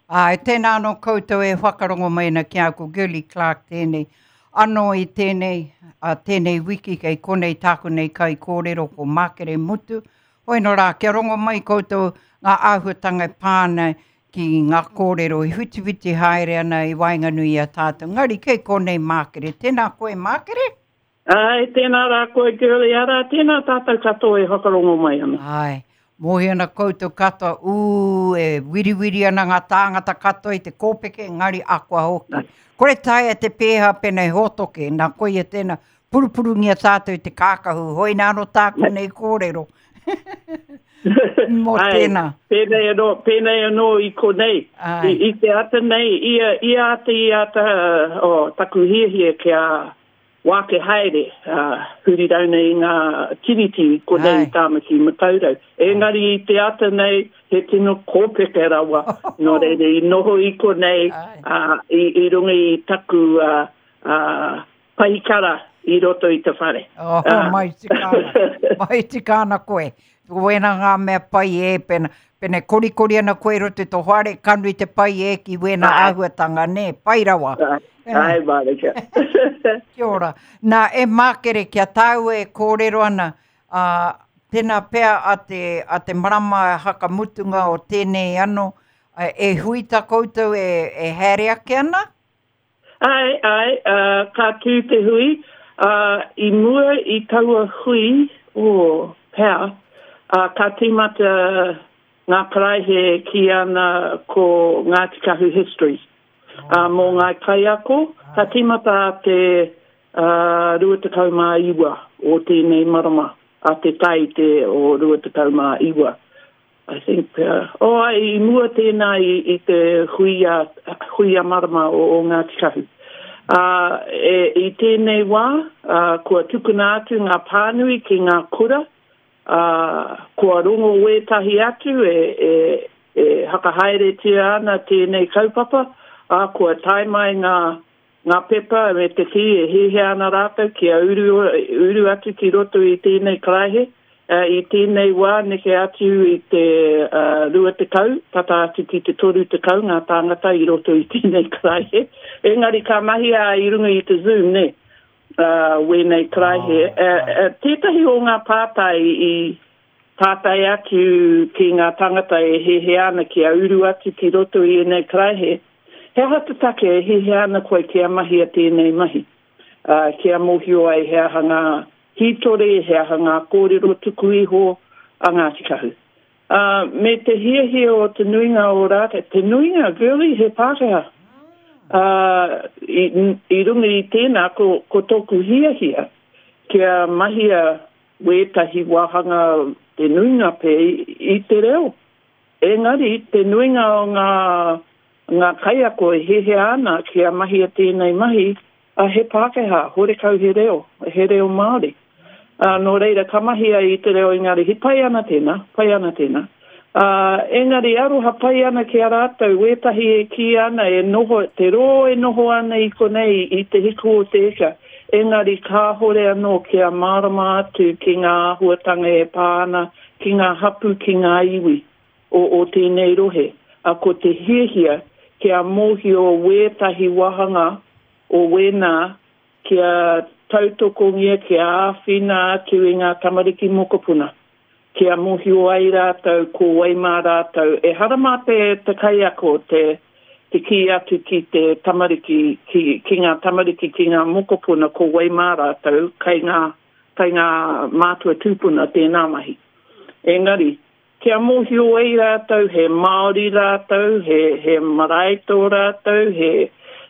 Āe, tēnā anō koutou e whakarongo mai ana ki a ko Girlie Clarke tēnei. Anō i tēnei, a tēnei wiki kei konei tāku nei kaikōrero ko Mākere Mutu. Hoi nō rā, kia rongo mai koutou ngā āhuatanga e pā ana ki ngā kōrero i whitiwhiti haere ana i waenganui i a tātou. Engari kei konei Mākere. Tēnā koe Mākere? Āe, tēnā rā koe Girlie, arā, tēnā tātou katoa e whakarongo mai ana. Āe, mōhio ana koutou katoa, ū, e wiriwiri ana ngā tāngata katoa i te kōpeke, engari akoa hoki. Kore taea te pēhā pēnā he hōtoke, nā koia tēnā, purupurungia tātou i te kākahu, hoina anō tāku nei kōrero. Mō tēnā. Pēnei anō, pēnei anō i konei. I, i te ata nei, ia, ia ata, ia ata, oh, taku hiahia kia Wāke haere, ā, huri rauna i ngā tiriti i konei i Tāmaki Makaurau. Engari i te ata nei, he tino kōpeke rawa, nō reira i noho i konei, ā, i, i runga i taku, ā, ā, pahikara i roto i te whare. Oh, mai tika ana, mai tika ana koe. Wēnā ngā mea pai e, pena, pena e korikori ana koe i roto i tō whare, ka nui te pai e ki wēnā āhuatanga, nē, pai rawa. Āe, mārika. Kia ora. Nā, e Mākere, ki a tāua e kōrero ana, ā, tēnā pea a te, a te marama hakamutunga o tēnei anō, e hui tā koutou e, e haere ake ana? Āe, āe, ā, ka tū te hui, ā, i mua i taua hui, oh, pea, ā, ka tīmata ngā karaehe e kī ana ko Ngāti Kahu Histories. Ā, mō ngā kaiako, ka tīmata a te, ā, 29 o tēnei marama, a te Tāite o 29. I think pea. Oh, ai, i mua tēnā i, i te hui a, hui a marama o, o Ngāti Kahu. Ā, e, i tēnei wā, ā, kua tukuna atu ngā pānui ki ngā kura, ā, kua rongo wētahi atu e, e, e hakahaeretia ana tēnei kaupapa, ā, kua tae mai ngā, ngā pepa me te kī e hiahia ana rātou kia uru, uru atu ki roto i tēnei karaehe. I tēnei wā neke atu i te 20, tata atu ki te 30 ngā tāngata i roto i tēnei karaehe. Engari ka mahia i runga i te Zoom, nē, wēnei karaehe. Tētahi o ngā pātai i pātai atu ki ngā tāngata e hiahia ana kia uru atu ki roto i ēnei karaehe, He aha te take e hiahia ana koe kia mahia tēnei mahi? Ā, kia mōhio ai he aha ngā hītori, he aha ngā kōrero tuku iho a Ngāti Kahu. Ā, me te hiahia o te nuinga o rātou, te nuinga, girlie, he Pākehā. Ā, i, i runga i tēnā, ko, ko tōku hiahia kia mahia wētahi wāhanga, te nuinga pea, i te reo. Engari, te nuinga o ngā, ngā kaiako e hiahia ana kia mahia tēnei mahi, ā, he Pākehā, horekau he reo, he reo Māori. Ā, nō reira, ka mahia i te reo Ingarihi, pai ana tēnā, pai ana tēnā. Ā, engari aroha pai ana ki a rātou, wētahi e kī ana e noho, te rō e noho ana i konei i te hiku o te ika, engari kāhore anō kia mārama atu ki ngā āhuatanga e pā ana ki ngā hapū, ki ngā iwi o o tēnei rohe, a ko te hiahia kia mōhio wētahi wāhanga o wēnā kia tautokongia, kia āwhina atu i ngā tamariki mokopuna, kia mōhio ai rātou ko wai mā rātou. Ehara mā te te kaiako te te kī atu ki te tamariki, ki ki ngā tamariki, ki ngā mokopuna ko wai mā rātou, kei ngā Kei ngā mātua tūpuna tēnā mahi. Engari, kia mōhio ai rātou he Māori rātou, he, he marae tō rātou, he,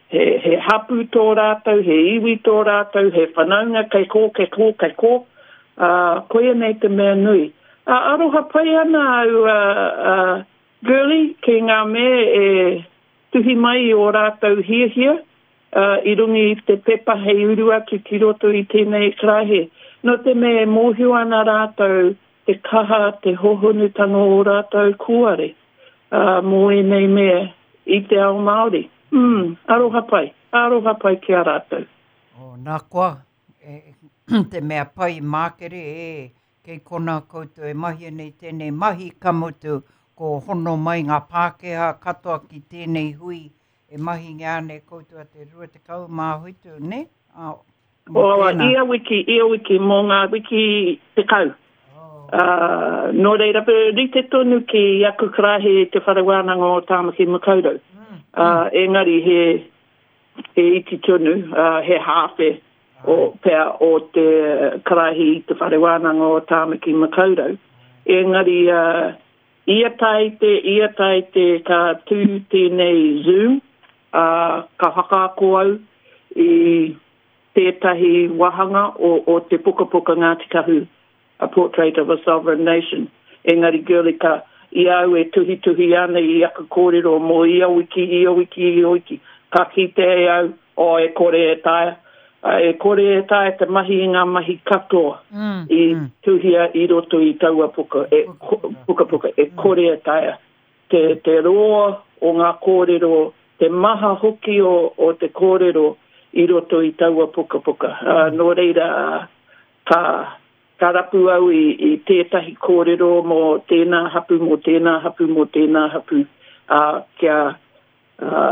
he, he hapū tō rātou, he iwi tō rātou, he whanaunga kei kō, kei kō, kei kō, ā, koia nei te mea nui. Ā, aroha pai ana au, ā, ā, Girlie, ki ngā mea e tuhi mai i ō rātou hiahia, i runga i te pepa hei uru atu ki roto i tēnei karaehe, nō te mea e mōhio ana rātou te kaha, te hōhonutanga o ō rātou kūare mō ēnei mea i te ao Māori. Mm, aroha pai, aroha pai ki a rātou. Oh, nā koa, e, te mea pai mākere, e, kei konā koutou e mahia nei tēnei mahi, ka mutu, ko hono mai ngā Pākehā katoa ki tēnei hui e mahingia ana e koutou a te 27, nē? Ā, mō O, tēnā. ia wiki, ia wiki, mō ngā wiki 10. Oh. Ā, nō reira, rite tonu ki aku karaehe i Te Whare Wānanga o Tāmaki Makaurau. Ā, engari he, he iti tonu, ā, he hāwhe o, pea o te karaehe i Te Whare Wānanga o Tāmaki Makaurau. Engari, ā, ia Tāite, ia Tāite ka tū tēnei Zoom, ā, ka whakaako au i tētahi wāhanga o, o te pukapuka Ngāti Kahu, A Portrait of a Sovereign Nation. Engari, girlie, ka, i a au e tuhituhi ana i aku kōrero mō ia wiki, ia wiki, ia wiki, ka kite e au, oh, e kore e taea, e kore e taea te mahi i ngā mahi katoa i tuhia i roto i taua puka, e, pukapuka, e kore e taea. Te, te roa o ngā kōrero, te maha hoki o, o te kōrero i roto i taua pukapuka. Ā, nō reira, ka, ka rapu au i, i tētahi kōrero mō tēnā hapū, mō tēnā hapū, mō tēnā hapū, ā, kia, ā,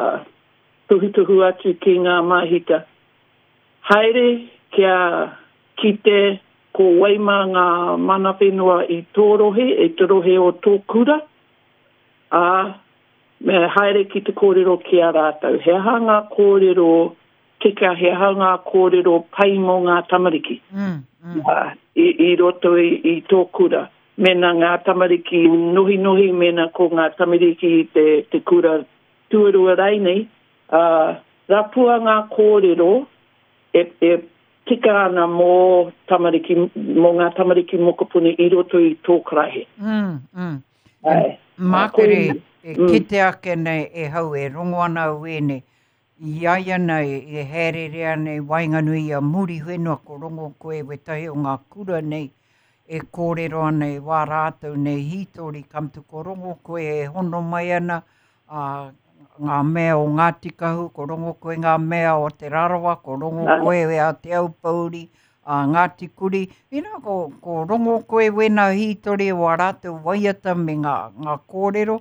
tuhutuhu atu ki ngā māhita. Haere kia kite ko wai mā ngā mana whenua i tō rohe, i te rohe o tō kura, ā, me haere ki te kōrero ki a rātou. He aha ngā kōrero tika, he aha ngā kōrero pai mō ngā tamariki i, i roto i, i tō kura. Mēnā ngā tamariki nohinohi, mēnā ko ngā tamariki i te, te kura tuarua rainei, ā, rapua ngā kōrero e, e tika ana mō tamariki, mō ngā tamariki mokopuna i roto i tō karaehe. Mm, mm. Āe. Mākere e kite ake nei e hau e rongo ana au ēnei, i a ia nei e hāereere ana i waenganui i a Muriwhenua ko rongo koe wētahi o ngā kura nei e kōrero ana i wā rātou nei hītori ka mutu ko rongo koe e hono mai ana ā, ngā mea o Ngāti Kahu, ko rongo koe ngā mea o Te Rarawa, ko rongo koe a Te Aupōuri, a Ngāti Kuri. Inā, ko, ko rongo koe wēnā hītori o ā rātou waiata me ngā, ngā kōrero,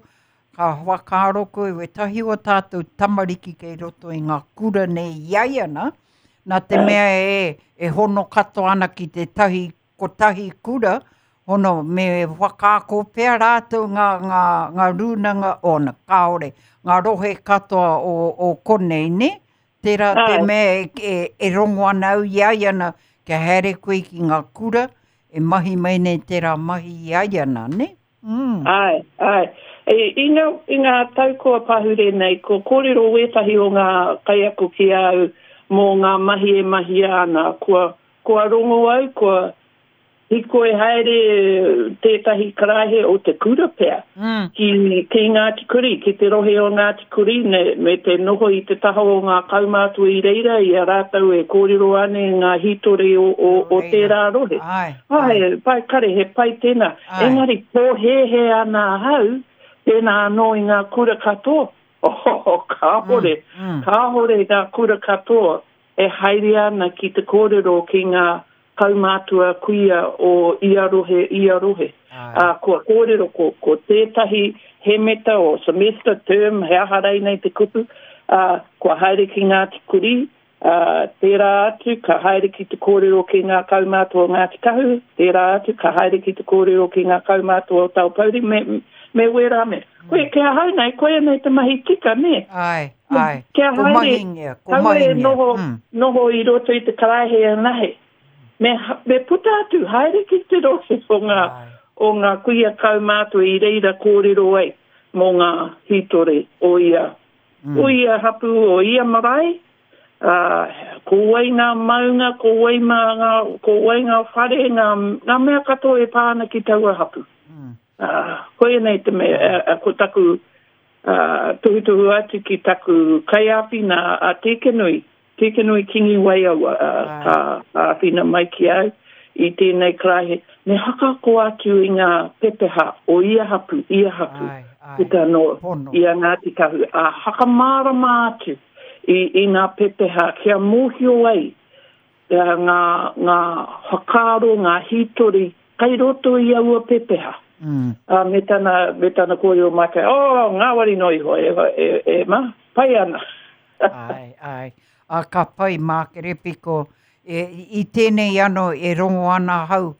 ka whakaaro koe wētahi o tātou tamariki kei roto i ngā kura nei i a ia nā, nā te mea e, e hono katoa ana ki tētahi kotahi kura, hono me whakaako pea rātou ngā, ngā, ngā rūnanga, ōna, kāore, ngā rohe katoa o, o konei, nē? Tērā te mea e, e, e rongo ana au i a ia nā, kia haere koe ki ngā kura, e mahi mai nei tērā mahi i a ia nā, nē? Mm. Āe, āe. I, i, ngā, i ngā tau kua pahure nei, kua kōrero wētahi o ngā kaiako ki a au mō ngā mahi e mahia ana, kua, Kua rongo au, kua hikoi haere tētahi karaehe o te kura pea ki, ki Ngāti Kuri, ki te rohe o Ngāti Kuri, me, me te noho i te taha o ngā kaumātua i reira, i a rātou e kōrero ana i ngā hītori o, o, o tērā rohe. Āe, āe. Pai kare, he pai tēnā. Āe. Engari pōhēhē ana ahau, pēnā anō i ngā kura katoa. Oh, kāhore, kāhore ngā kura katoa e haere ana ki te kōrero ki ngā kaumātua kuia o ia rohe, ia rohe. Ā, kua kōrero ko, ko tētahi hemeta o semester, term, he aha reinei te kupu, ā, kua haere ki Ngāti Kurī, ā, tērā atu ka haere ki te kōrero ki ngā kaumātua o Ngāti Kahu, tērā atu ka haere ki te kōrero ki ngā kaumātua o Taupōuri, me, me wērā mea. Koe, ki ahau nei, koia nei te mahi tika, nē? Āe, āe. Kia Ko haere, mahingia, ko kaua e mahingia. noho, Mm. noho i roto i te karaehe anahe. Me, me puta atu, haere ki te rohe o ngā, Āe. o ngā kuia kaumātua i reira kōrero ai mō ngā hītori o ia, o ia hapū, o ia marae, ā, ko wai ngā maunga, ko wai mā ngā, ko wai ngā whare, ngā, ngā mea katoa e pā ana ki taua hapū. Ā, koia nei te mea, ā, ko taku, ā, tohutohu atu ki taku kaiāwhina a Tēkenui, Tēkenui Kingi Waiaua, ā, ka āwhina mai ki au i tēnei karaehe, me whakaako atu i ngā pepeha o ia hapū, ia hapū, puta noa i a Ngāti Kahu, ā, whakamārama atu i, i ngā pepeha kia mōhio ai ngā, ngā whakaaro, ngā hītori kei roto i aua pepeha. Mm. Ā, me tana, me tana kōrero mai kai, oh, ngāwari noa iho, e, e, e, ma, pai ana. Āe, āe. Ā, ka pai Mākere Piko. E, i tēnei anō e rongo ana ahau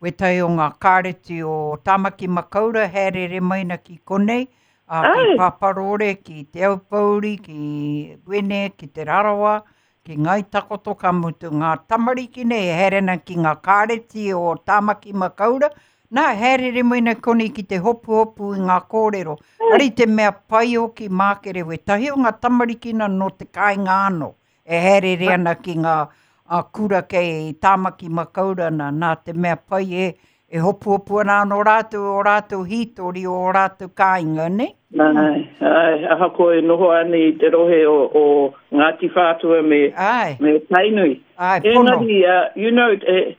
wētahi o ngā kāreti o Tāmaki Makaurau haereere mai ana ki konei, ā, ki Pāpārōre, ki Te Aupōuri, ki Wene, ki Te Rarawa, ki Ngāi Takoto, ka mutu ngā tamariki nei e haere ana ki ngā kāreti o Tāmaki Makaurau, nā, haereere mai ana ki konei ki te hopuhopu i ngā kōrero. Ari te mea pai hoki Mākere wētahi o ngā tamariki nā nō te kāinga anō. E haereere ana ki ngā kura kei Tāmaki Makaurau nā, nā te mea pai e, e hopuhopu ana anō rātou o rātou hītori o ō rātou kāinga, nē? Āe, āe, ahakoa e noho ana i te rohe o, o Ngāti Whātua me, āe. me Tainui. Āe, pono. Engari, uh, you know, e,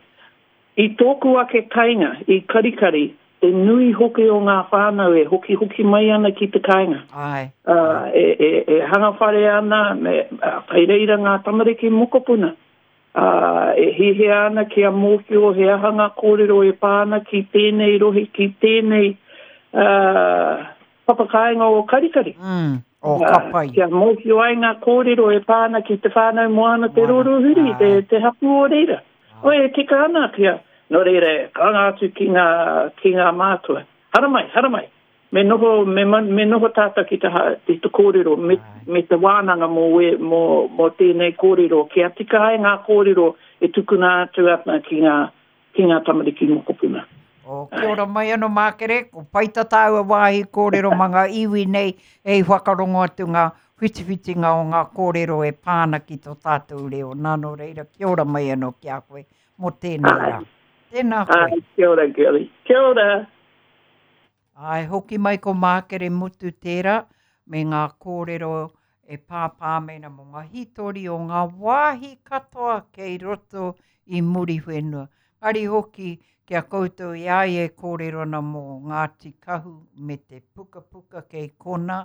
i tōku ake kainga, i Karikari, te nui hoki o ngā whānau e hokihoki mai ana ki te kāinga. Āe. Ā, e, e, e hanga whare ana, me, ā, kei reira ngā tamariki mokopuna. Ā, e hiahia ana kia mōhio he aha ngā kōrero e pā ana ki tēnei rohe, ki tēnei, ā, papakāinga o Karikari. Mm, o, ka pai. Kia mōhio ai ngā kōrero e pā ana ki Te Whānau Moana Te Rorohuri, te, te hapū o reira. Oi, e tika ana kia, nō reira, karanga atu ki ngā, ki ngā mātua. Haramai, haramai! Me noho, me, me noho tātou ki te, ki te kōrero, me, me te wānanga mō, we, mō, mō tēnei kōrero, kia tika ai ngā kōrero e tukuna atu ana ki ngā, ki ngā tamariki mokopuna. Oh, kia ora mai ano Mākere, ko pai tā tāua wāhi kōrero mā ngā iwi nei hei whakarongo atu ngā whitiwhitinga o ngā kōrero e pā ana ki tō tātou reo. Nā, nō reira, kia ora mai anō ki a koe mō tēnei rā. Tēnā koe. Ai, kia ora, Girlie. Kia ora. Āe, hoki mai ko Mākere Mutu tērā me ngā kōrero e pāpā mēnā mō ngā hītori o ngā wāhi katoa kei roto i Muriwhenua. Engari hoki ki a koutou i a ia e kōrero ana mō Ngāti Kahu me te pukapuka kei konā,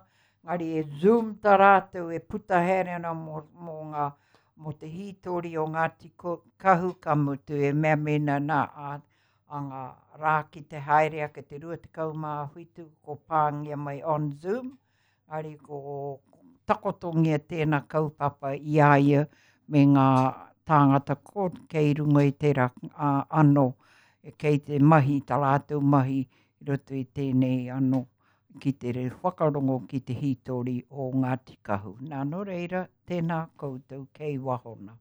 engari e zoom tā rātou e puta haere ana mō, mō ngā, mō te hītori o Ngāti Kahu ka mutu e mea mēnā nā, ā, a ngā rā ki te haere ake te 27 ko pāngia mai on Zoom, engari ko takotongia tēnā kaupapa i a ia me ngā tāngata ko kei runga i tērā anō, kei te mahi tā rātou mahi i roto i tēnei anō ki te whakarongo ki te hītori o Ngāti Kahu. Nā, nō reira, tēnā koutou kei waho nā.